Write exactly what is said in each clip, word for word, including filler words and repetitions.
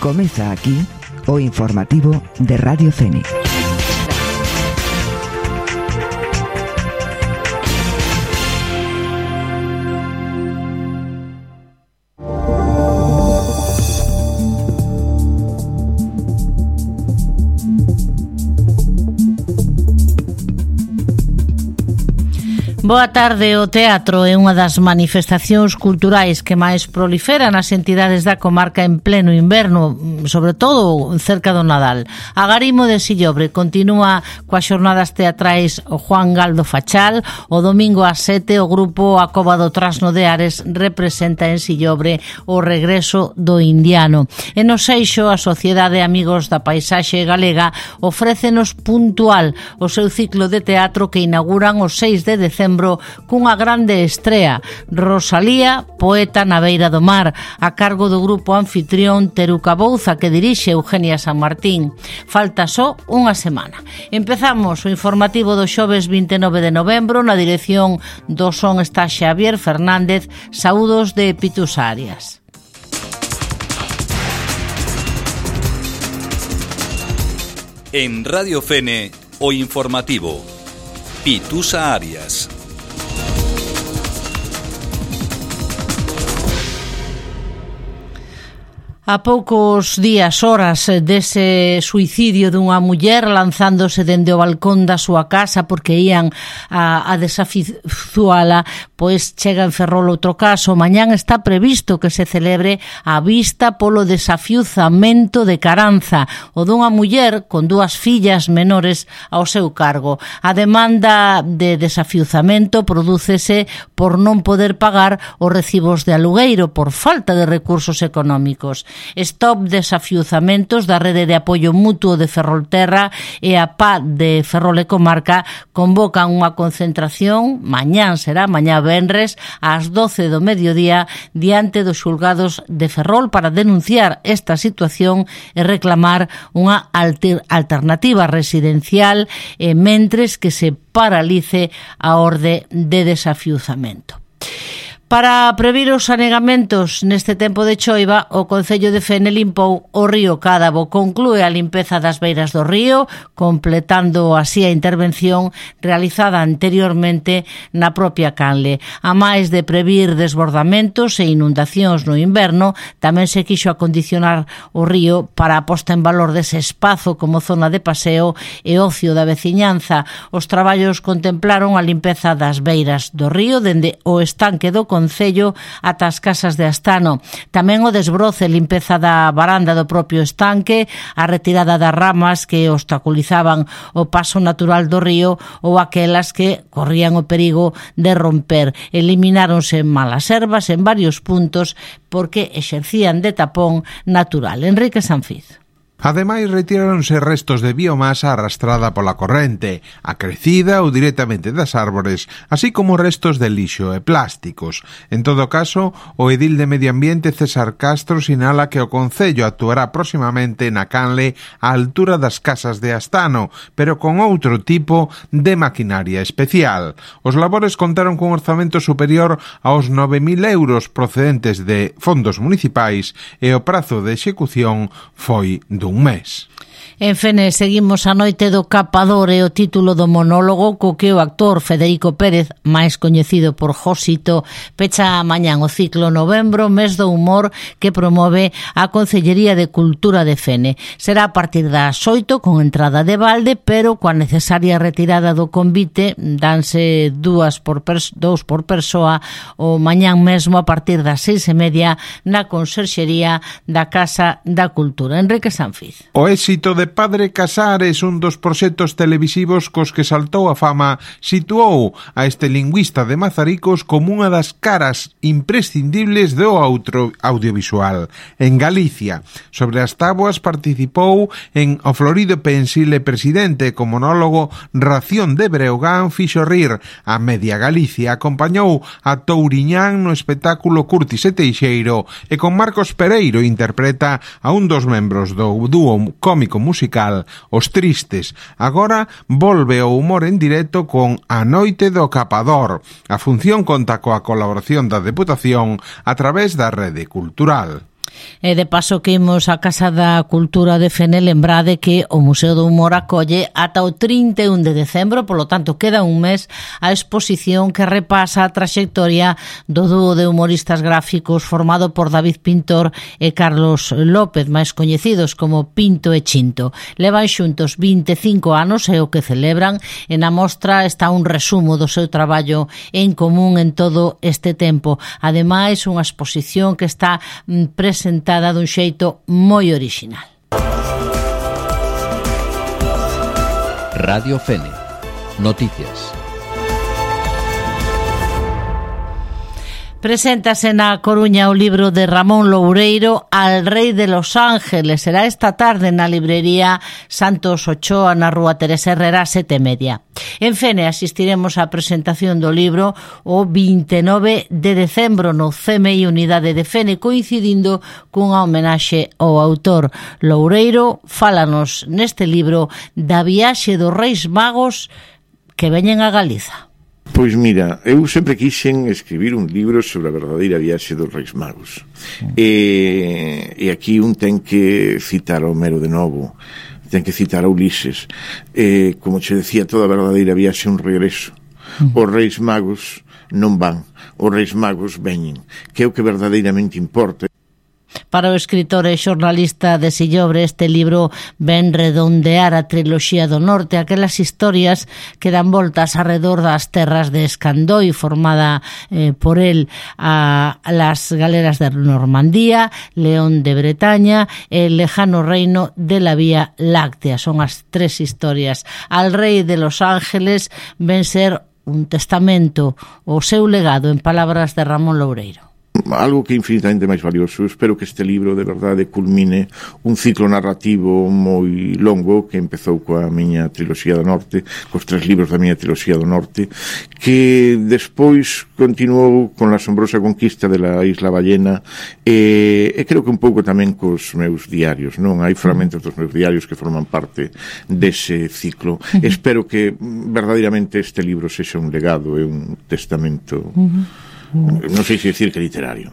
Comeza aquí o informativo de Radio Fénix. Boa tarde. O teatro é unha das manifestacións culturais que máis proliferan nas entidades da comarca en pleno inverno, sobre todo cerca do Nadal. A Garimo de Sillobre continúa coas xornadas teatrais o Juan Galdo Fachal. O domingo ás sete o grupo A Cova do Trasno de Ares representa en Sillobre o regreso do indiano. E no Seixo, a Sociedade Amigos da Paisaxe Galega ofrécenos Puntual, o seu ciclo de teatro que inauguran o seis de decembro cunha grande estrea, Rosalía, poeta na beira do mar, a cargo do grupo anfitrión Teruca Bouza, que dirixe Eugenia San Martín. Falta só unha semana. Empezamos o informativo do xoves vinte e nove de novembro. Na dirección do son está Xavier Fernández. Saúdos de Pitus Arias. En Radio Fene, o informativo Pitusa Arias. A poucos días, horas dese suicidio dunha muller lanzándose dende o balcón da súa casa porque ían a, a desafizuala, pois chega en Ferrol outro caso. Mañán está previsto que se celebre a vista polo desafiuzamento de Caranza, o dunha muller con dúas fillas menores ao seu cargo. A demanda de desafiuzamento prodúcese por non poder pagar os recibos de alugueiro por falta de recursos económicos. Stop Desafiuzamentos da Rede de Apoio Mutuo de Ferrolterra e a P A de Ferrol e Comarca convocan unha concentración, mañán será, mañá venres, ás doce do mediodía, diante dos xulgados de Ferrol para denunciar esta situación e reclamar unha alter, alternativa residencial e mentres que se paralice a orde de desafiuzamento. Para previr os anegamentos neste tempo de choiva, o Concello de Fene limpou o río Cádabo. Conclúe a limpeza das beiras do río, completando así a intervención realizada anteriormente na propia canle. A máis de previr desbordamentos e inundacións no inverno, tamén se quixo acondicionar o río para a posta en valor dese espazo como zona de paseo e ocio da veciñanza. Os traballos contemplaron a limpeza das beiras do río dende o estanque do Concello ata as casas de Astano. Tamén o desbroce e limpeza da varanda do propio estanque, a retirada das ramas que obstaculizaban o paso natural do río ou aquelas que corrían o perigo de romper. Elimináronse malas ervas en varios puntos porque exercían de tapón natural. Enrique Sanfiz. Ademais, retiráronse restos de biomasa arrastrada pola corrente, acrecida ou directamente das árbores, así como restos de lixo e plásticos. En todo caso, o edil de Medio Ambiente César Castro sinala que o Concello actuará próximamente na canle á altura das casas de Astano, pero con outro tipo de maquinaria especial. Os labores contaron cun orzamento superior aos nove mil euros procedentes de fondos municipais e o prazo de execución foi do un mes. En Fene seguimos a noite do Capador e o título do monólogo co que o actor Federico Pérez, máis coñecido por Josito, pecha mañán o ciclo Novembro, mes do humor, que promove a Concellería de Cultura de Fene. Será a partir das oito con entrada de balde, pero coa necesaria retirada do convite, danse dúas por pers- dous por persoa o mañán mesmo a partir das seis e media na Conserxería da Casa da Cultura. Enrique Sanfiz. O éxito de Padre Casares, un dos proxectos televisivos cos que saltou a fama, situou a este lingüista de Mazaricos como unha das caras imprescindibles do outro audiovisual. En Galicia, sobre as táboas participou en O Florido Pensile Presidente, co monólogo Ración de Breogán fixo rir a media Galicia, acompañou a Touriñán no espectáculo Curtis e Teixeiro e con Marcos Pereiro interpreta a un dos membros do dúo cómico musical Os Tristes. Agora volve o humor en directo con A Noite do Capador. A función conta coa colaboración da Deputación a través da Rede Cultural. E de paso que imos a Casa da Cultura de Fene, lembrade que o Museo do Humor acolle ata o trinta e un de decembro, polo tanto queda un mes a exposición que repasa a traxectoria do dúo de humoristas gráficos formado por David Pintor e Carlos López, máis coñecidos como Pinto e Chinto. Levan xuntos vinte e cinco anos e o que celebran, e na mostra está un resumo do seu traballo en común en todo este tempo. Ademais, unha exposición que está presentada dun xeito moi orixinal. Radio Fene. Noticias. Preséntase na Coruña o libro de Ramón Loureiro, Al Rei de Los Ángeles. Será esta tarde na librería Santos Ochoa, na rúa Teresa Herrera, sete e media. En Fene asistiremos á presentación do libro o vinte e nove de decembro no C M I Unidade de Fene, coincidindo cunha homenaxe ao autor. Loureiro fálanos neste libro da viaxe dos Reis Magos que veñen a Galiza. Pois mira, eu sempre quixen escribir un libro sobre a verdadeira viaxe dos Reis Magos. Mm. E, e aquí un ten que citar a Homero de novo, ten que citar a Ulises. E, como che decía, toda a verdadeira viaxe é un regreso. Mm. Os Reis Magos non van, os Reis Magos veñen, que é o que verdadeiramente importa. Para o escritor e xornalista de Sillobre, este libro ven redondear a triloxía do norte, aquelas historias que dan voltas alrededor das terras de Escandoi, formada eh, por él a, a las galeras de Normandía, León de Bretaña e el lejano reino de la Vía Láctea. Son as tres historias. Al Rei de Los Ángeles ven ser un testamento, o seu legado, en palabras de Ramón Loureiro. Algo que é infinitamente máis valioso. Espero que este libro de verdade culmine un ciclo narrativo moi longo que empezou coa miña triloxía do norte, cos tres libros da miña triloxía do norte, que despois continuou con la asombrosa conquista de la Isla Ballena e, e creo que un pouco tamén cos meus diarios, non? Hai fragmentos dos meus diarios que forman parte dese ciclo. Uh-huh. Espero que verdadeiramente este libro sexa un legado e un testamento. Uh-huh. Non sei se decir que literario.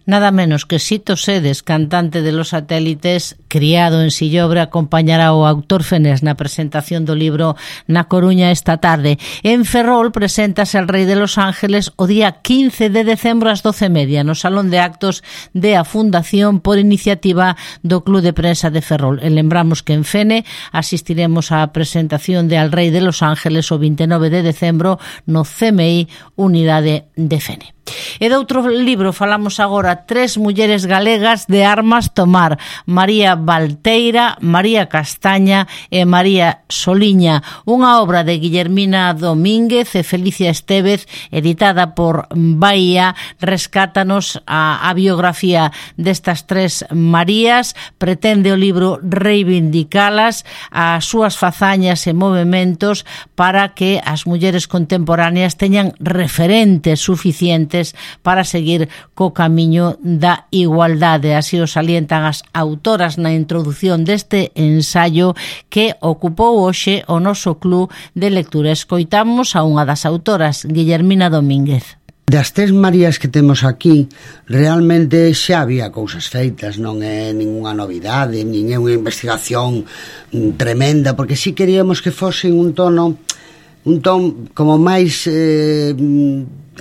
Nada menos que Sito Sedes, cantante de Los Satélites, criado en Sillobre, acompañará o autor fenés na presentación do libro na Coruña esta tarde. En Ferrol preséntase El Rei de Los Ángeles o día quince de decembro ás doce e media no Salón de Actos de a Fundación por iniciativa do Club de Prensa de Ferrol. E lembramos que en Fene asistiremos á presentación de El Rei de Los Ángeles o vinte e nove de decembro no C M I Unidade de Fene. E de outro libro falamos agora, tres mulleres galegas de armas tomar, María Valteira, María Castaña e María Soliña, unha obra de Guillermina Domínguez e Felicia Estévez, editada por Bahía. Rescátanos a, a biografía destas tres Marías, pretende o libro reivindicalas, as súas fazañas e movementos para que as mulleres contemporáneas teñan referentes suficientes para seguir co camiño da igualdade. Así o salientan as autoras na introdución deste ensaio que ocupou hoxe o noso club de lectura. Escoitamos a unha das autoras, Guillermina Domínguez. Das tres Marías que temos aquí, realmente xa había cousas feitas, non é ninguna novidade, nin é unha investigación tremenda, porque si queríamos que fose un tono un ton como máis eh,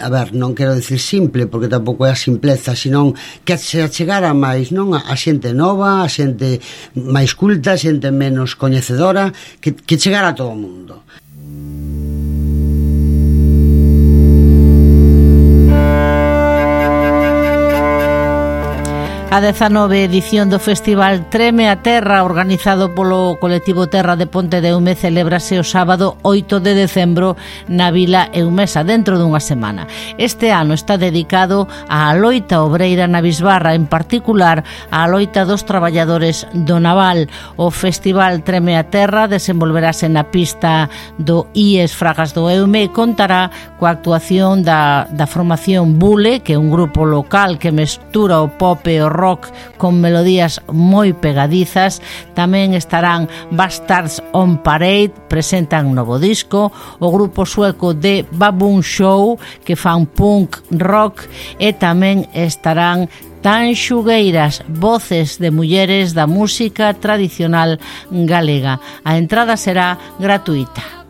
a ver, non quero dicir simple, porque tampouco é a simpleza, senón que se achegara máis, non, a xente nova, a xente máis culta, a xente menos coñecedora, que, que chegara a todo o mundo. A dezanove edición do Festival Treme a Terra, organizado polo colectivo Terra de Ponte de Eume, celébrase o sábado oito de decembro na Vila Eumesa, dentro dunha semana. Este ano está dedicado á loita obreira na Bisbarra, en particular á loita dos traballadores do naval. O Festival Treme a Terra desenvolverase na pista do I E S Fragas do Eume e contará coa actuación da, da formación Bule, que é un grupo local que mestura o pop e o rock con melodías moi pegadizas. Tamén estarán Bastards on Parade, presentan novo disco, o grupo sueco de Baboon Show, que fan punk rock, e tamén estarán Tanxugueiras, voces de mulleres da música tradicional galega. A entrada será gratuita.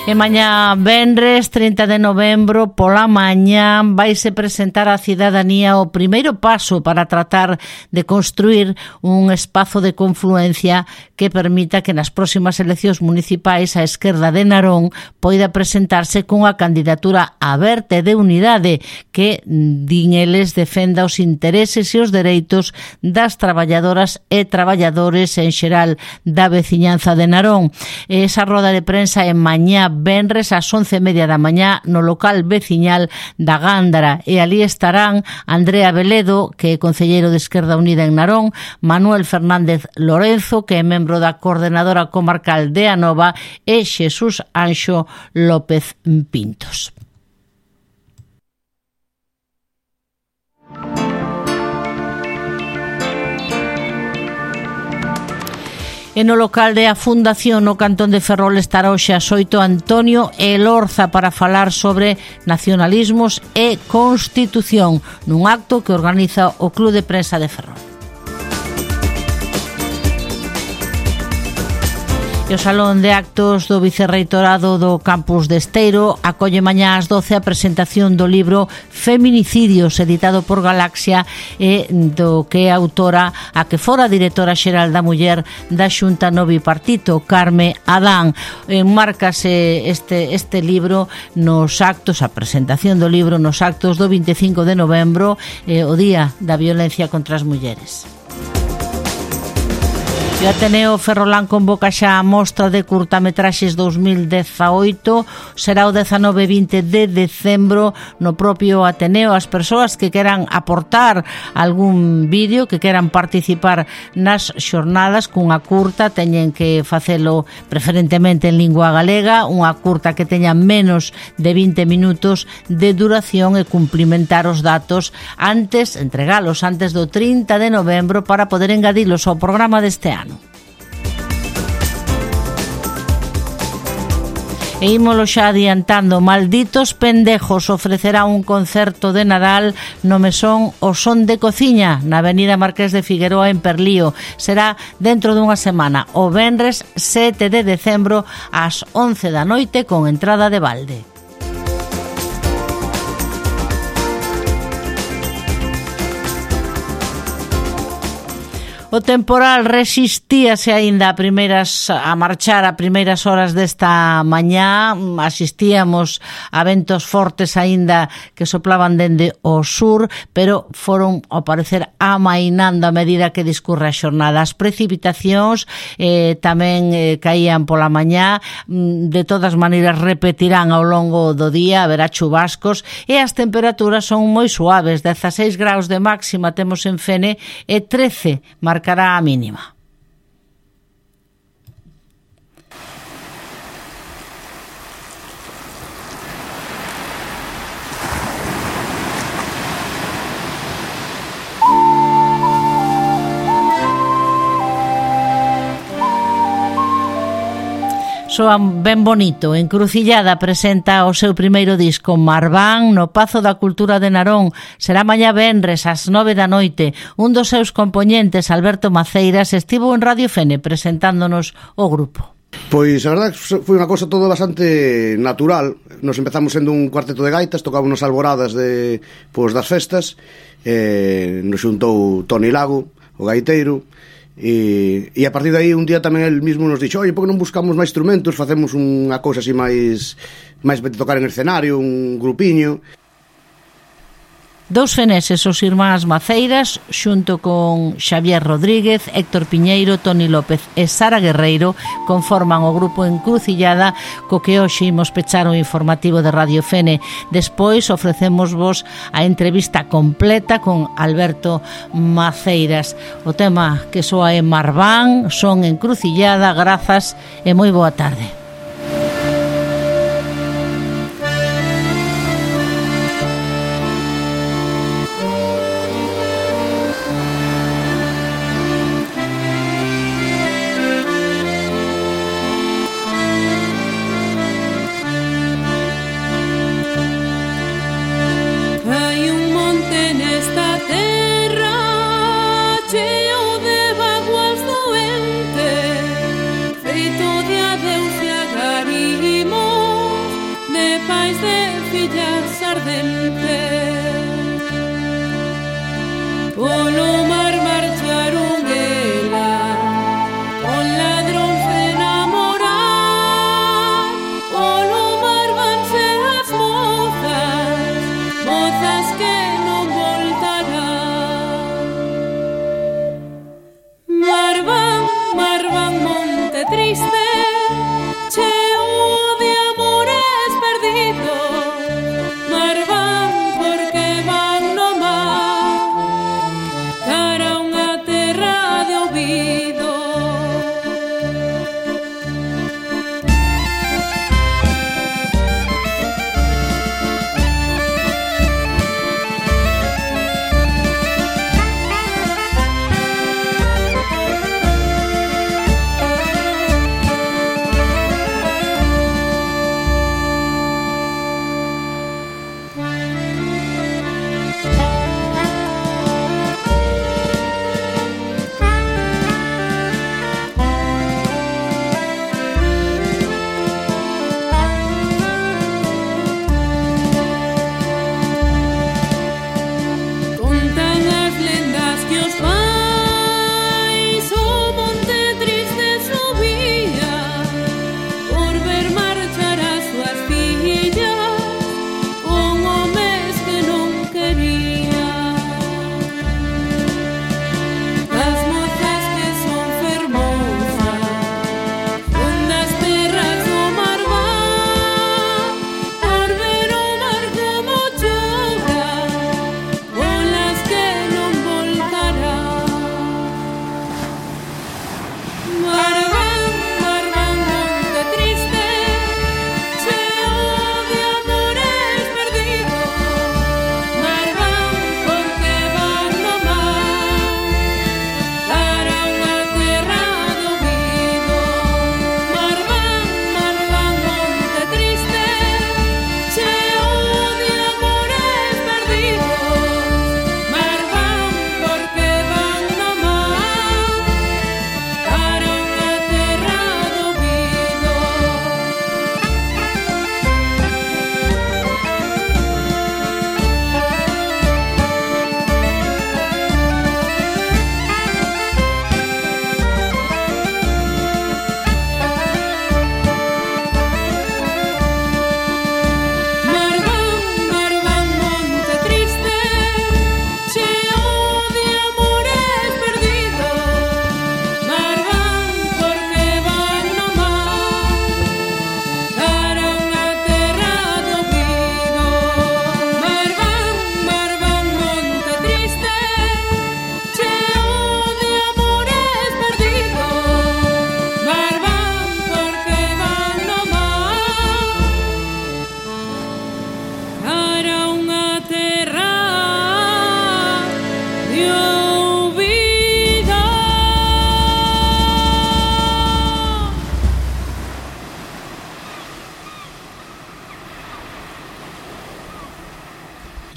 E mañá venres trinta de novembro pola mañá vaise presentar á cidadanía o primeiro paso para tratar de construir un espazo de confluencia que permita que nas próximas eleccións municipais a esquerda de Narón poida presentarse cunha candidatura aberta e de unidade que, din eles, defenda os intereses e os dereitos das traballadoras e traballadores en xeral da veciñanza de Narón. Esa roda de prensa é mañá venres ás once e media da mañá no local veciñal da Gándara, e ali estarán Andrea Veledo, que é concelleiro de Esquerda Unida en Narón, Manuel Fernández Lorenzo, que é membro da coordenadora comarcal de Anova, e Xesús Anxo López Pintos. E no local de a Fundación no Cantón de Ferrol estará hoxe ás oito Antonio Elorza para falar sobre nacionalismos e constitución nun acto que organiza o Club de Prensa de Ferrol. E o Salón de Actos do Vicerreitorado do Campus de Esteiro acolle mañá ás doce a presentación do libro Feminicidios, editado por Galaxia, e do que é autora a que fora directora xeral da Muller da Xunta no Bipartito, Carme Adán. Enmárcase este, este libro nos actos, a presentación do libro nos actos do vinte e cinco de novembro, eh, o Día da Violencia contra as Mulleres. E o Ateneo Ferrolán convoca xa a mostra de curtametraxes dos mil dezaoito, será o dezanove e vinte de decembro no propio Ateneo. As persoas que queran aportar algún vídeo, que queran participar nas xornadas cunha curta, teñen que facelo preferentemente en lingua galega, unha curta que teña menos de vinte minutos de duración, e cumplimentar os datos antes, entregalos antes do trinta de novembro para poder engadilos ao programa deste ano. E ímolo xa adiantando, Malditos Pendejos ofrecerá un concerto de Nadal no Mesón O Son de Cociña, na avenida Marqués de Figueroa en Perlío. Será dentro dunha semana, o venres sete de decembro ás once da noite, con entrada de balde. O temporal resistíase aínda a primeiras a marchar a primeiras horas desta mañá. Asistíamos a ventos fortes aínda que soplaban dende o sur, pero foron ao parecer amainando a medida que discurre a xornada. As precipitacións eh, tamén eh, caían pola mañá, de todas maneiras repetirán ao longo do día, haberá chubascos, e as temperaturas son moi suaves, dezaseis graus de máxima temos en Fene e trece marcará a mínima. Soan ben bonito. Encrucillada presenta o seu primeiro disco Marván no Pazo da Cultura de Narón. Será mañá venres ás nove da noite. Un dos seus compoñentes, Alberto Maceiras, estivo en Radio Fene presentándonos o grupo. Pois a verdade foi unha cousa todo bastante natural. Nos empezamos sendo un cuarteto de gaitas, tocábamos alboradas de, pois, das festas, eh, nos xuntou Toni Lago, o gaiteiro, e, e a partir de aí un día tamén el mismo nos dixo: oi, por que non buscamos máis instrumentos, facemos unha cousa así máis máis de tocar en escenario, un grupiño. Dous feneses, os irmáns Maceiras, xunto con Xavier Rodríguez, Héctor Piñeiro, Toni López e Sara Guerreiro, conforman o grupo Encrucillada, co que hoxe imos pechar o informativo de Radio Fene. Despois ofrecemos vos a entrevista completa con Alberto Maceiras. O tema que soa é Marván, son Encrucillada, grazas e moi boa tarde. ouvido.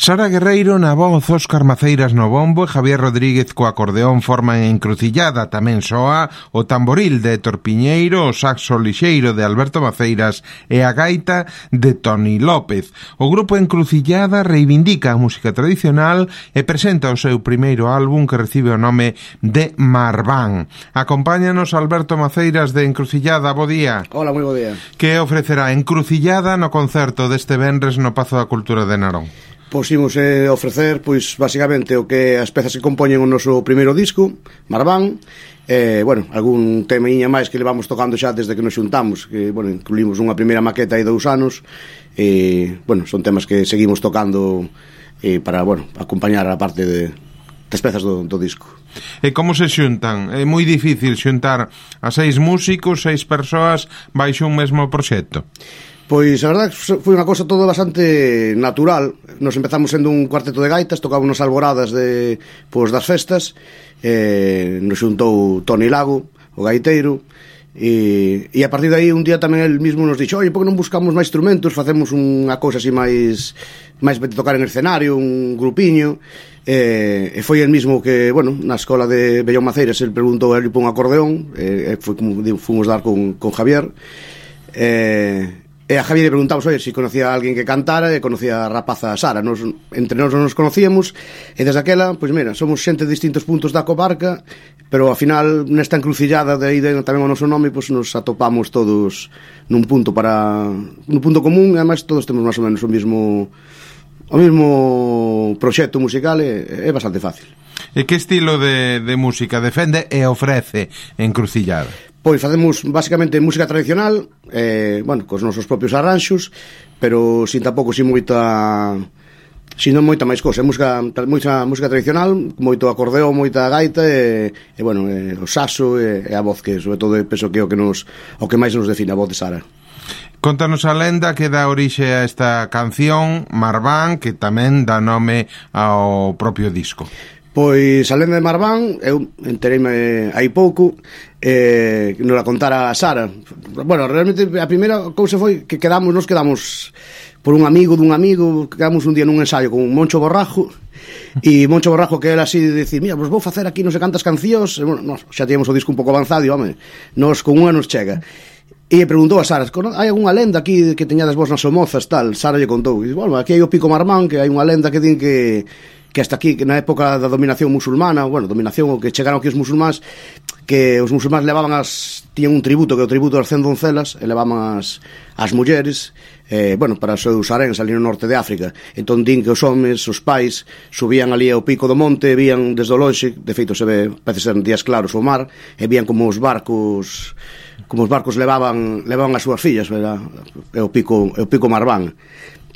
Sara Guerreiro na voz, Óscar Maceiras no bombo e Javier Rodríguez co acordeón forman Encrucillada. Tamén soa o tamboril de Héctor Piñeiro, o saxo lixeiro de Alberto Maceiras e a gaita de Toni López. O grupo Encrucillada reivindica a música tradicional e presenta o seu primeiro álbum que recibe o nome de Marván. Acompáñanos Alberto Maceiras de Encrucillada, bo día. Hola, moi bo día. Que ofrecerá Encrucillada no concerto deste venres no Pazo da Cultura de Narón? Pois imos eh, ofrecer, pois, basicamente o que as pezas que compoñen o noso primeiro disco, Marván, eh, bueno, algún temiña máis que levamos tocando xa desde que nos xuntamos, que, bueno, incluímos unha primeira maqueta hai dous anos, e, bueno, son temas que seguimos tocando eh, para, bueno, acompañar a parte de, das pezas do, do disco. E como se xuntan? É moi difícil xuntar a seis músicos, seis persoas, baixo un mesmo proxecto? Pois a verdade foi unha cosa todo bastante natural. Nos empezamos sendo un cuarteto de gaitas, tocábamos alboradas de, pois, das festas, eh, nos xuntou Toni Lago, o gaiteiro, e, e a partir de aí un día tamén el mismo nos dixo: oye, por que non buscamos máis instrumentos, facemos unha cousa así máis máis de tocar en escenario, un grupiño. E, e foi el mismo que, bueno, na escola de Bellón Maceiras el preguntou a él por un acordeón, e, e foi como fomos dar con, con Javier. E E a Javier le preguntamos, oye, si conocía a alguén que cantara, e conocía a rapaza Sara. Nos, entre nós non nos conocíamos, e desde aquela, pois mira, somos xente de distintos puntos da comarca, pero ao final, nesta encrucillada de aí de, tamén o noso nome, pois nos atopamos todos nun punto para nun punto común, e además todos temos máis ou menos o mismo o mismo proxecto musical, e é bastante fácil. E que estilo de, de música defende e ofrece Encrucillada? Pois facemos basicamente música tradicional, eh, bueno, cos nosos propios arranxos, pero sin tampouco sin moita sino moita máis cousa, música, moita música tradicional, moito acordeón, moita gaita e, e bueno, e, o saxo e, e a voz que sobre todo penso que é o que nos o que máis nos define, a voz de Sara. Contanos a lenda que dá orixe a esta canción, Marván, que tamén dá nome ao propio disco. Pois a lenda de Marván, eu entereime hai pouco, eh, nos la contara a Sara. Bueno, realmente a primeira cousa foi que quedamos, nos quedamos por un amigo dun amigo, quedamos un día nun ensaio con Moncho Borrajo, e Moncho Borrajo que era así de decir, mira, vos vou facer aquí non sei cantas cancións, e, bueno, nos, xa tíamos o disco un pouco avanzado, e, home, nos con unha nos chega. E preguntou a Sara, hai algunha lenda aquí que teñades vos nas Somozas, tal? Sara lle contou, e, bueno, aquí hai o Pico Marván, que hai unha lenda que din que que hasta aquí, que na época da dominación musulmana, bueno, dominación, o que chegaron aquí os musulmáns, que os musulmáns levaban as, tiñan un tributo, que é o tributo das cen doncelas, e levaban as, as mulleres, eh, bueno, para os seus haréns ali no norte de África. Entón din que os homes, os pais, subían ali ao pico do monte, vían desde o lonxe, de feito se ve, parece ser en días claros o mar, e vían como os barcos, como os barcos levaban, levaban as súas fillas, era, é o pico, é o pico Marván.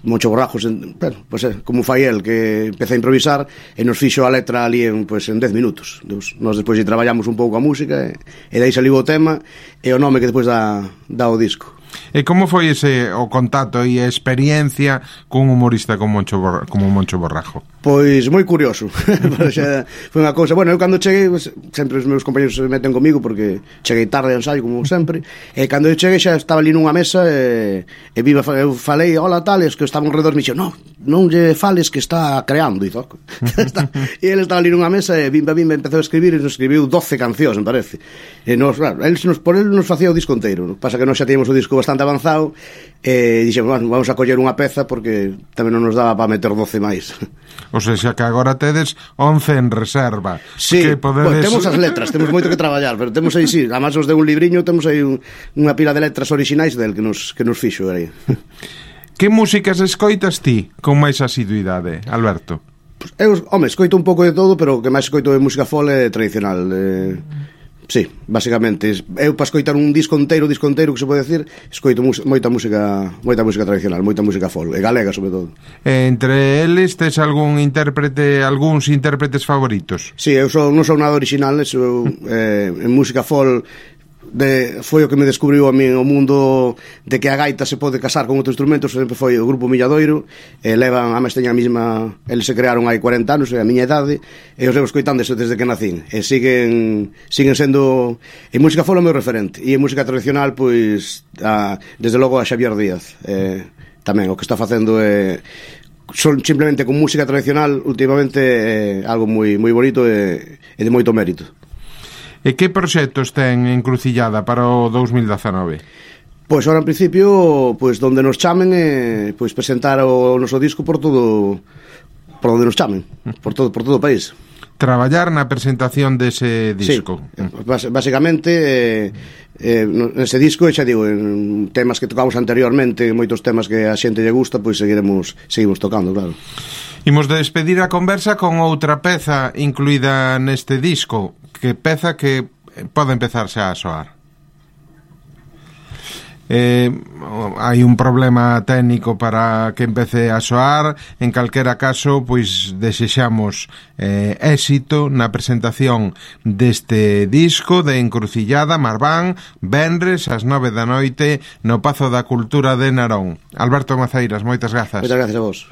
Moncho Borrajos, bueno, pues, eh, como fai el, que empeza a improvisar e nos fixo a letra ali en, pues, en dez minutos. Nos despois lle traballamos un pouco a música e, e dai saliu o tema e o nome que despois dá, dá o disco. E como foi ese o contacto e a experiencia cun humorista como Moncho, Borra, como Moncho Borrajo? Pois moi curioso. Foi unha cousa, bueno, eu cando cheguei, pues, sempre os meus compañeros se meten comigo porque cheguei tarde ao ensaio como sempre, e cando eu cheguei xa estaba ali nunha mesa e, e viva, eu falei, hola tal, e os que estaban alrededor me dixo, no, non lle fales que está creando, e toco. E ele estaba ali nunha mesa e bimba bimba empezou a escribir e nos escribiu doce cancións, me parece. E nos, claro, el, nos, por el nos facía o disco inteiro. Pasa que nós xa teníamos o disco bastante avanzado e dixemos, bueno, vamos a coller unha peza porque tamén non nos daba para meter doce máis. O sea, xa que agora tedes once en reserva. Sí, que podedes... bueno, temos as letras, temos moito que traballar, pero temos aí, sí, además nos deu un libriño, temos aí un, unha pila de letras orixinais del que nos, que nos fixo aí. Que músicas escoitas ti con máis asiduidade, Alberto? Pues eu, home, escoito un pouco de todo, pero o que máis escoito é música folk e tradicional. Eh, sí, basicamente. Eu para escoitar un disco inteiro, disco inteiro que se pode decir, escoito moita música, moita música tradicional, moita música folk, e galega sobre todo. Entre eles tes algún intérprete, algúns intérpretes favoritos? Sí, eu sou, non sou nada original, eu, eh, en música folk de, foi o que me descubriu a mí o mundo de que a gaita se pode casar con outros instrumentos, sempre foi o grupo Milladoiro, e levan, a máis teña a mesma, eles se crearon hai cuarenta anos, é a miña idade, e os levo escoitando desde que nacín, e siguen siguen sendo, en música folk o meu referente, e en música tradicional, pois, a, desde logo a Xavier Díaz, eh, tamén, o que está facendo é, son simplemente con música tradicional, últimamente é algo moi moi bonito e, e de moito mérito. E que proxectos ten encrucillada para o dous mil dezanove? Pois ahora en principio, pois donde nos chamen eh, pois presentar o noso disco por todo, por onde nos chamen, por todo por todo o país. Traballar na presentación dese disco. Sí, bas, basicamente eh, eh, nese disco, xa digo, en temas que tocamos anteriormente, moitos temas que a xente lle gusta, pois seguiremos seguimos tocando, claro. Imos despedir a conversa con outra peza incluída neste disco, que peza que pode empezar xa a soar. Eh, hai un problema técnico para que empece a soar. En calquera caso, pois desexamos eh, éxito na presentación deste disco de Encrucillada Marván, venres ás nove da noite no Pazo da Cultura de Narón. Alberto Maceiras, moitas grazas. Moitas gracias a vos.